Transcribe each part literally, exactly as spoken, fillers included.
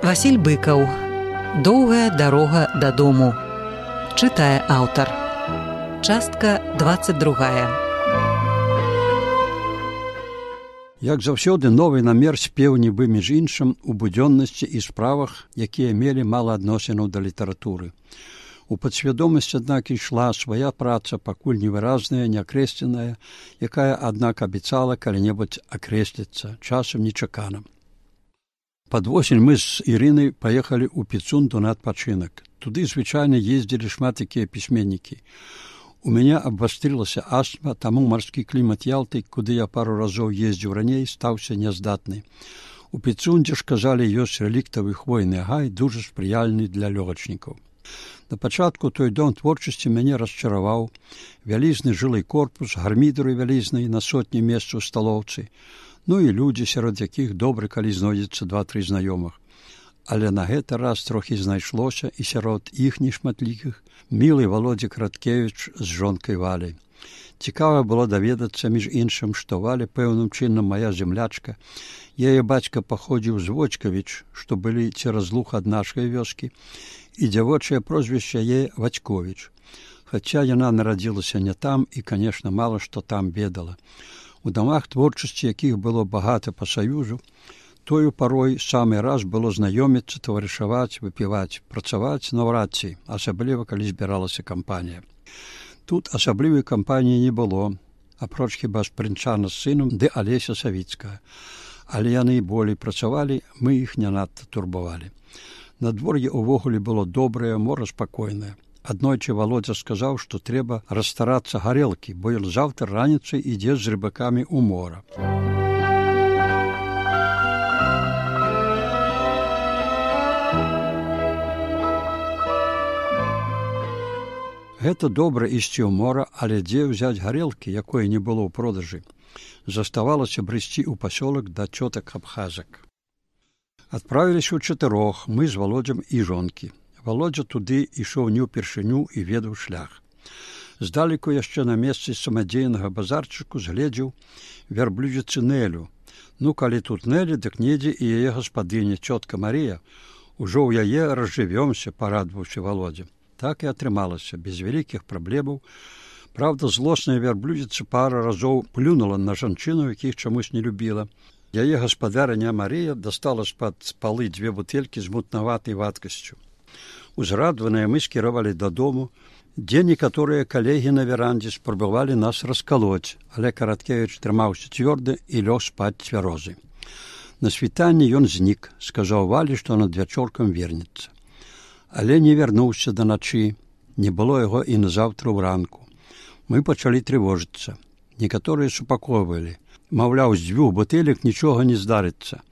Васіль Быкаў. Доўгая дарога дадому. Чытае аўтар. Частка двадцать другая. Як заўсёды, новы намер спеў нібы між іншым у будзённасці і справах, якія мелі мала адносінаў да літаратуры. У падсвядомасці, аднак, ішла свая праца, пакуль невыразная, неакрэсленая, якая, аднак, абяцала калі-небудзь акрэсліцца, часам нечакана. Пад восень мы з Ірынай паехалі ў Піцунду на адпачынак. Туды звычайна ездзілі шмат якія пісьменнікі. У мяне абвастрылася астма, таму марскі клімат Ялты, куды я пару разоў ездзіў раней, стаўся няздатны. У Піцундзе ж, казалі, ёсць рэліктавы хвойны гай, дужа спрыяльны для лёгачнікаў. На пачатку той дом творчасці мяне расчараваў. Вялізны жылы корпус, гармідару вялізнай на сотні месц у сталоўцы, ну і людзі, сярод якіх добра, калі знойдзецца два-тры знаёмых. Але на гэты раз трохі знайшлося і сярод іх нешматлікіх мілы Володя Краткевіч з жонкай Валяй. Цікава было даведацца, між іншым, што Валя пэўным чынам мая землячка. Яе бацька паходзіў з Вочкавіч, што былі цераз луг ад нашай вёскі, і дзявочае прозвішча яе Вацьковіч. Хаця яна нарадзілася не там і, канешне, мала што там ведала. У дамах творчасці, якіх было багата па саюзу, тою парой самы раз было знаёміцца, таварышаваць, выпіваць, працаваць наўрад ці, асабліва, калі збіралася кампанія. Тут асаблівай кампаніі не было, апроч хіба Спрынчана з сынам ды Алеся Савіцкая. Але яны болей працавалі, мы іх не надта турбавалі. Надвор'е увогуле было добрае, мора спакойнае. Аднойчы Володя сказаў, што трэба расстарацца гарэлкі, бо ён заўтра раніцай ідзе з рыбакамі ў мора. Гэта добра ісці ў мора, але дзе ўзяць гарэлкі, якой не было ў продажы? Заставалася брысці ў пасёлак да цётак абхазак. Адправіліся ў чатырох, мы з Володзям і жонкі. Володзя туды ішоў не ўпершыню і ведаў шлях. Здалеку яшчэ на месцы самадзейнага базарчыку згледзеў вярблюдзіцы Нелю. Ну, калі тут Нелі, дык недзе і яе гаспадыня, цётка Марія. Ужо ў яе разжывёмся, парадваўся Володзя. Так і атрымалася, без вялікіх праблемаў. Праўда, злосная вярблюдзіца пара разоў плюнула на жанчыну, якіх чамусь не любіла. Яе гаспадарыня Марія дастала з-пад палы дзве бутэлькі з мутнаватай вадкасцю. Узрадваныя мы скіравалі дадому, дзе некаторыя калегі на верандзе спрабавалі нас раскалоць, але Караткевіч трымаўся цвёрда і лёг спаць цвярозы. На світанні ён знік, сказаў Валі, што над вячоркам вернецца. Але не вярнуўся да начы, не было яго і назаўтра ўранку. Мы пачалі трывожыцца. Некаторыя супакойвалі. Маўляў, з дзвюх бутэлек нічога не здарыцца.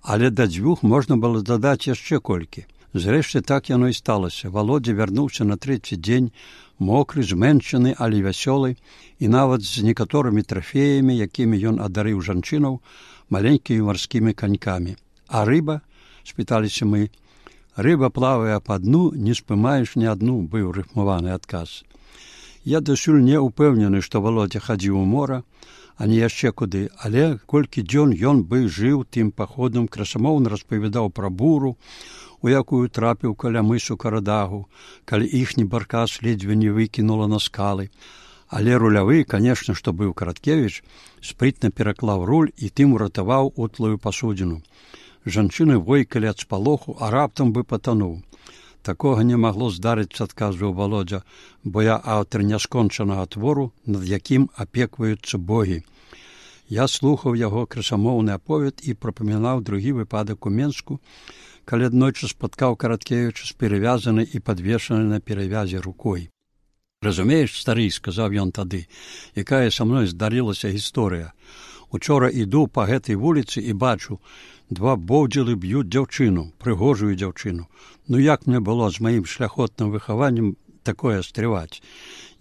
Але да дзвюх можна было дадаць яшчэ колькі. Зрэшты, так яно і сталася. Володя вярнуўся на трэці дзень, мокры, зменшаны, але вясёлы, і нават з некаторымі трафеямі, якімі ён адарыў жанчынаў, маленькімі марскімі канькамі. А рыба? Спыталіся мы. Рыба плавае па дну, не спымаеш ні адну, быў рыфмаваны адказ. Я дасюль не ўпэўнены, што Володя хадзіў у мора, а не яшчэ куды, але колькі дзён ён бы жыў тым паходам, красамоўна распавядаў пра буру, у якую трапіў каля мысу Карадагу, калі іхні баркас ледзьве не выкінула на скалы. Але рулявы, канешне, што быў Караткевіч, спрытна пераклаў руль і тым уратаваў утлую пасудзіну. Жанчыны войкалі ад спалоху, а раптам бы патануў. Такога не магло здарыцца, адказваў Володя, бо я аўтар няскончанага твору, над якім апекваюцца богі. Я слухаў яго красамоўны аповед і прапамінаў другі выпадак у Менску, калі аднойчы спаткаў Караткевіча з перавязанай і падвешанай на перавязе рукой. «Разумееш, стары, — сказаў ён тады, — якая са мной здарылася гісторыя. Учора іду па гэтай вуліцы і бачу, два боўдзілы б'юць дзяўчыну, прыгожую дзяўчыну. Ну як мне было з маім шляхотным выхаваннем такое стрываць?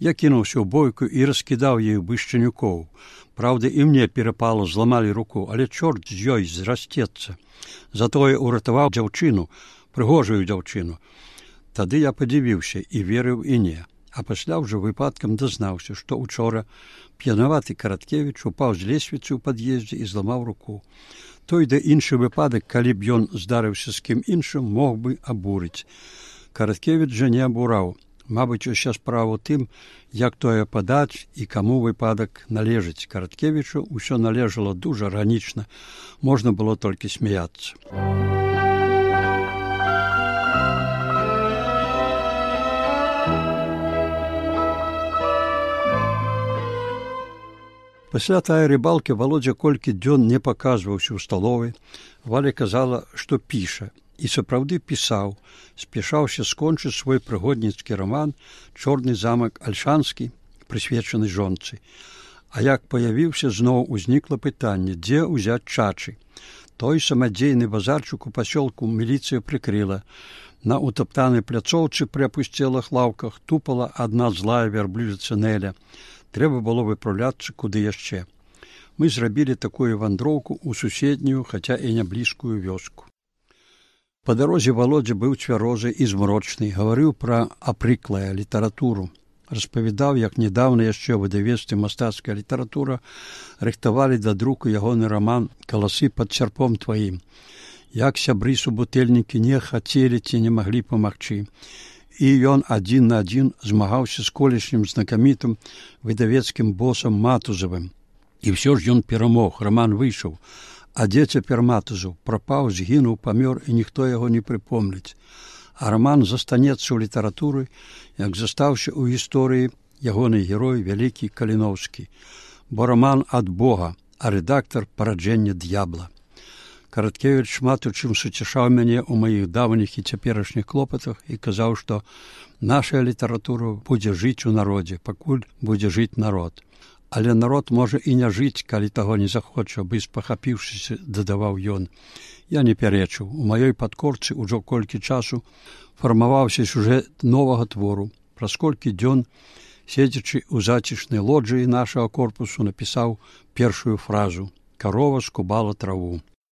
Я кінуўся ў бойку і раскідаў ёй бышчанюкоў. Праўда, і мне перапало, зламалі руку, але чорт з ёй зрасцецца. Затое уратаваў дзяўчыну, прыгожую дзяўчыну. Тады я падзівіўся і верыў і не. А пасля ўжо выпадкам дазнаўся, што учора п'янаваты Караткевіч упаў з лесвіцы ў пад'ездзе і зламаў руку. Той да іншы выпадак, калі б ён здарыўся з кім іншым, мог бы абурыць. Караткевіч жа не абураў. Мабыць, уся справа ў тым, як тое падаць і каму выпадак належыць. Караткевічу ўсё належало дужа арганічна, можна было толькі смяяцца. Пасля тае рыбалкі Володя колькі дзён не паказваўся ў сталовай. Валя казала, што піша. І сапраўды пісаў, спяшаўся скончыць свой прыгодніцкі раман «Чорны замак Альшанскі», прысвечаны жонцы. А як паявіўся, зноў узнікла пытанне, дзе ўзяць чачы. Той самадзейны базарчык у пасёлку міліцыя прыкрыла. На утаптанай пляцоўцы пры апусцелых лаўках тупала адна злая вярблюдзіца Нэля. Трэба было выпраўляцца куды яшчэ. Мы зрабілі такую вандроўку ў суседнюю, хаця і не блізкую вёску. Па дарозе Володя быў цвярозы і змрочны, гаварыў пра апрыклая літаратуру. Распавядаў, як нядаўна яшчэ ў выдавецтве «Мастацкая літаратура» рыхтавалі да друку ягоны раман «Каласы пад сярпом тваім». Як сябры-субутэльнікі не хацелі ці не маглі памагчы. І ён адзін на адзін змагаўся з колішнім знакамітым выдавецкім босам Матузавым. І ўсё ж ён перамог, раман выйшаў. А дзе цяпер Матузаў? Прапаў, згінуў, памёр, і ніхто яго не прыпомніць. А раман застанецца ў літаратуры, як застаўся ў гісторыі ягоны герой вялікі Каліноўскі. Бо раман ад Бога, а рэдактар параджэння д'ябла. Караткевіч шмат у чым суцяшаў мяне ў маіх даўніх і цяперашніх клопатах і казаў, што наша літаратура будзе жыць у народзе, пакуль будзе жыць народ. Але народ можа і не жыць, калі таго не захоча, бы спахапіўшыся, дадаваў ён. Я не пярэчыў. У маёй падкорцы ўжо колькі часу фармаваўся сюжэт новага твору. Праз колькі дзён, седзячы ў зацішнай лоджыі нашага корпусу, напісаў першую фразу «Карова скубала траву».